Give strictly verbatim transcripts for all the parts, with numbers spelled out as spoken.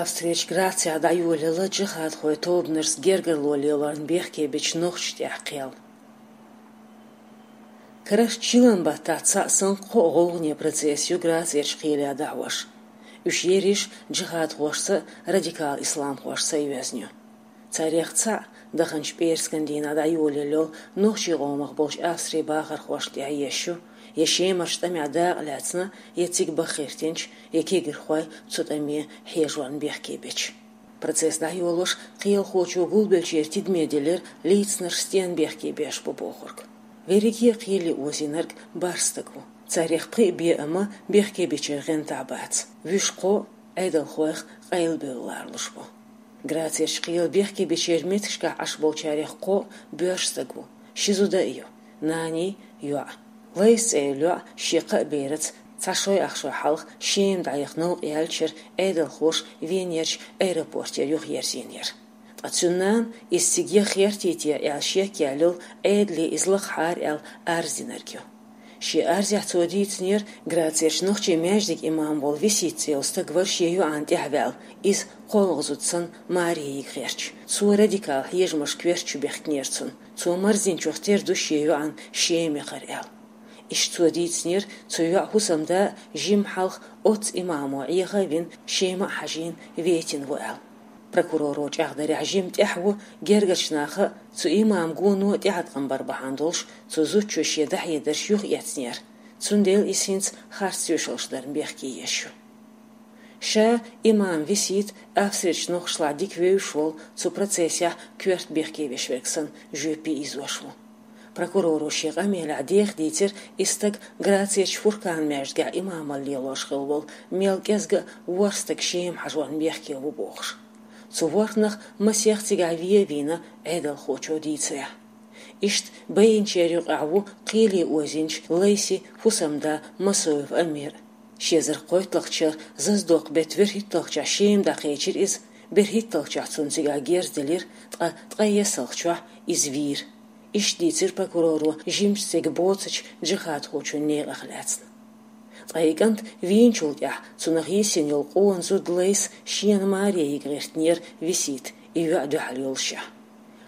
Австрерчу Грацехь дӀайолаелла джихадхойн тобанашца гергарло лелорна бехке бечу нохчашна тӀехь кхел. Карарчу чиллан баттахь цхьаъ санна кхо гӀовгӀане процесс ю Грацерчу кхеле дӀахьош. Уьш ерриш джихадхошца а, радикал исламхошца а йоьзна ю. Царех цхьаъ, даханчу пӀераскан дийнахь дӀайолаелла йолу нохчийн къомах болчу Австрин бахархошна тӀехь еш ю, я Шемарчу тӀамехь дакъа лаьцна, я цига баха гӀиртинчу, я кегирхой цу тӀаме хьежорна бехке бечу. Процесс дӀайолош кхелахочо гулбеллачеран тидаме делира, лийцинарш стенна бехке беш бу бохург. Верриге а кхеле озийнарг бархӀ стаг ву. Царех пхиъ бен а ма бехке бечеран гӀантахь бац. Вуьш кхо а Ӏедалхойх къайлабевлла ларалуш бу. Грацерчу кхеле бехке бечеран меттигашкахь Ӏаш болчарех кхо а боьрша стаг ву, ши зуда а ю, наний, йоӀ. Лайс цӀе йолу йоӀ шен кхаа бераца цхьа шой-ах шой хьалха Шема дӀаяха новкъа яьллачуьра Ӏедалхоша Венерчу аэропортера юхаерзийнера. Ткъа цуьнан нана иза цига яха гӀертий те аьлла шек яьлла йолу, Ӏедале иза лахахьара аьлла арз динарг ю. Шен арзехь цо дийцинера, Грацерчу нохчийн маьждиган имам волу Висит цӀе йолу стаг вара шен йоӀана тӀаьхьаваьлла, иза кхоалгӀа зуда санна маре йига гӀерташ. Цо радикал хьежамашка коьртачу бехкинера цунна. Цо марздинчух тера ду шен йоӀана Шема яхар аьлла. Иштта цо дийцинера, цу йоьӀан хӀусамда жимма хьалха оццу имамо Ӏеха а вина, Шема а хьажийна, ветина ву аьлла. Прокуроро чӀагӀдарехь, жимма тӀаьхьа ву гергарчу наха а, цу имаман гоно а тӀеӀаткъам бар бахьана долуш, цу зудчо шен дӀахьедарш юхаэцнера, цундела иза хӀинца харц тоьшаллаш дарна бехке еш ю. Ша имам Висит Австрерчу нохчашлахь дика вевзаш волу, цу процессехь коьрта бехке веш верг санна жоьпе ийзош ву. Прокуроро шен къамелехь деха дийцира, и стаг Грацерчу Фуркан-маьждигехь имамалла лелош хилла волу, мел кӀезга а ворхӀ стаг Шема хьажорна бехке ву бохуш. Цу ворхӀнах масех цигахь вен а вийна, Ӏедалхочо дийцарехь. Иштта байинчеран юкъахь ву кхеле озийначу Лайсин хӀусамда Масоев Амир. Ши эзар кхойтталгӀачу шарахь зазадоккху беттан берхӀитталгӀачохь Шема дӀакхечира иза, берхӀитталгӀачохь цунна цигахь герз делира, ткъа ткъе ессалгӀачохь иза вийра. Иштта дийцира прокуроро жимачу стеган боцучу джихадхочун некъах лаьцна. Ткъа и кӀант вийначул тӀаьхьа цунах йисина йолу къона зуда Лайс шена маре йига гӀиртинера Висита, и йоӀ дуьхьал йолушехь.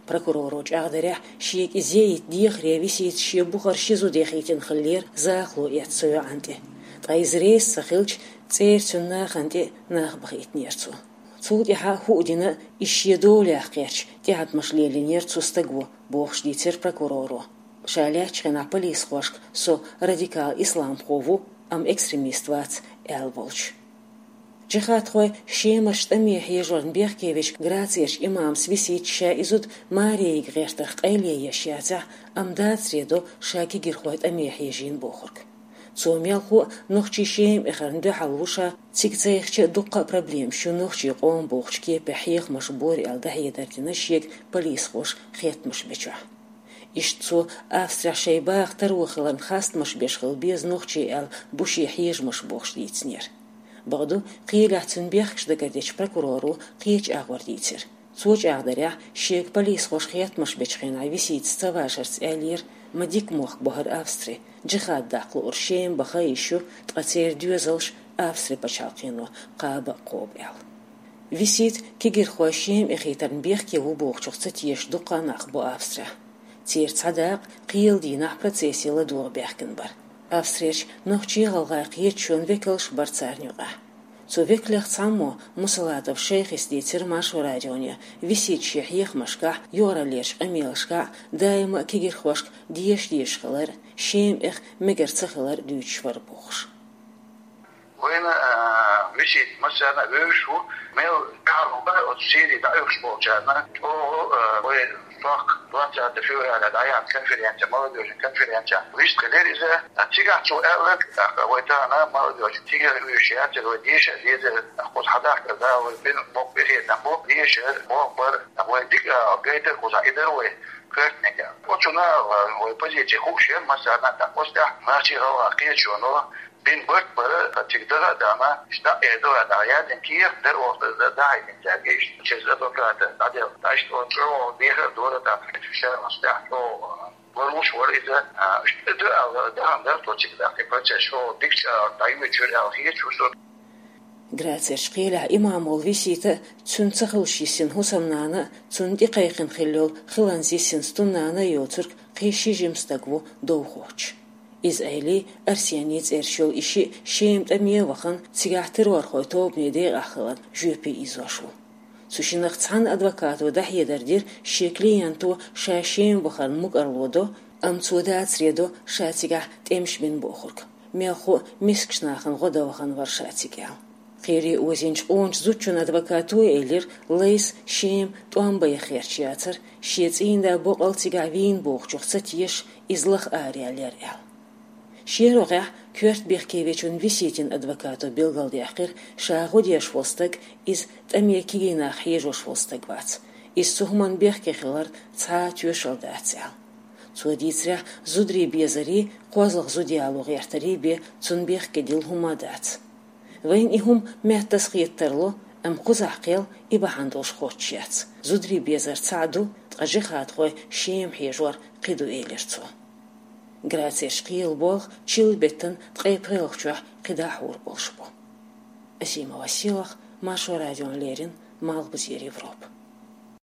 Прокуроро чӀагӀдарехь, шега и зе йита дехаре Висита шен бухара ши зуда яхийтина хиллера, захало эцна цу йоӀана тӀе. Ткъа иза реза ца хилча, цӀера цуьнан нахана тӀе нах бахийтинера цо. Цул тӀаьхьа хӀуъа дина, иза шен долах кхерча, тӀеӀаткъамаш лелийнера цу стаго, бохуш дийцира прокуроро. Ша лаьттачу хенахь полисхошка со радикал исламхо ву, амма экстремист вац, аьлла волчу. Джихадхой Шемарчу тӀаме хьежорна бехке вечу Грацерчу имамас Виситас ша и зуда маре йига гӀертарх къайле еш яцахь, амма дацаре до ша кегирхой тӀаме хьежийна бохург. Цо мелхо а нохчийн Шема эхарна дуьхьал ву ша, цига ца яхча а дуккха а проблемаш ю нохчийн къоман бохучу кепехь хьехамаш бора аьлла дӀахьедар дина шега полисхоша хеттамаш бечохь. Иштта цо Австрехь шайн баха таро хиларна хастамаш беш хила беза нохчий аьлла бу шен хьежамаш бохуш дийцинера. Бакъду, кхелехь цуьнан бехкаш дагардечу прокуроро кхечу агӀор дийцира. Цо чӀагӀдарехь, шега полисхоша хеттамаш бечу хенахь Виситас ца вашарца аьллера, ма дика мохк бу хӀара Австри, джихад даккха луург Шема баха йиш ю, ткъа церан доьзалш Австри пачхьалкхено кхаба а кхобу аьлла. Висит кегирхой Шема эхийтарна бехке ву бохучух ца тешаш дуккха а нах бу Австрехь. Церан цхьа дакъа кхелан дийнахь процессе ладогӀа баьхкина бара. Австрерчу нохчийн-гӀалгӀайн кхеташонан векалш бара царна юкъахь. Цу векалех цхьаммо, Мусалатов Шайхис, дийцира Маршо радионе, Висит шен хьехамашкахь, юкъараллерчу къамелашкахь даима а кегирхошка деша дезаш хилар, Шема эха мегар ца хилар дуьйцуш вара бохуш. Вайна, а, Висит массарна а вевзаш ву, мел тӀаьхьа бара оцу Сири дӀаоьхуш болчарна, чӀогӀа, а, вай сохка двадцатого февраля дӀаяьхьна конференция, молодёжный конференция, вистхилира иза. А цигахь цо аьлларг, тӀаккха вай тахана молодёжь цигара вуьйш яцара, вай деша а дезара, тӀаккха кхуза хьадахкар да, вай бина боккха къинхетам бу, дешар, бохбар, тӀаккха вай дика а гайтар кхузахь, и дара вай коьртаниг. Оцунах вай позиция хууш яра массарна а, тӀаккха оцу тӀехь нохчийн-гӀалгӀайн кхеташоно бина барт бара, цига даха а дахана, иштта дӀа а эр ду аьлла, дӀа яздина кехат дара оха дӀахьаьжначаьрга, иштта через адвоката дӀаделла. ТӀаккха иштта оцу чӀогӀа дехар а дора, тӀаккха ша оцу тӀехь чӀогӀа ларлуш вара иза, а, иштта ду аьлла, дахана дара тхо цига, тӀаккха и процесс чӀогӀа дикачу агӀор дӀайоьдуш яра аьлла хеташ ву со. Грацерчу кхелехь имам волу Висита а, цуьнан ца хуьлуш йисина хӀусамнана а, цунна тӀекхайкхина хилла йолу хиланца йисина стуннана а йоцург кхин ши жима стаг ву довхочуш. Иза Ӏелий, Арсений цӀераш йолу и шиъ Шема тӀаме а вахана, цигахь террорхойн тобанан декъахь хиларна жоьпе ийзош ву. Цу шиннах цхьана адвокато дӀахьедар дира, шен клиенто ша Шема вахарна мукӀарло до, амма цо дацаре до ша цигахь тӀемаш бина бохург. Мелхо а мискачу нахана гӀо дан вахана вара ша цига аьлла. Кхере озийначу къоначу зудчун адвокато а элира, Лайса Шема тӀом бан яхарх яцара, шен цӀийнан да боккъал цигахь вийна бохучух ца тешаш, иза лаха араяьллера аьлла. Шен рогӀехь коьрта бехке вечун Виситин адвокато билгалдаьккхира, ша гӀо деш волу стаг иза тӀаме кегий нах хьежош волу стаг вац. Иза цу хӀуманна бехке хиларна цхьа а тоьшалла дац аьлла. Цо дийцарехь, зударий безарий, кхозлагӀа зуда яло гӀертарий бен цунна бехке дилла хӀума а дац. Вайна и хӀума меттаза хета тарло, амма кхузахь кхел и бахьана долуш хоттуш яц. Зударий безар цхьаъ ду, ткъа жихӀадхой Шема хьежор кхин ду, элира цо. Грацерчу кхелан болх чиллан беттан ткъе пхоьалгӀачохь кхидӀа хьур болуш бу. Асимова Сийлахь, Маршо радиона леррина, Малхбузера Европа.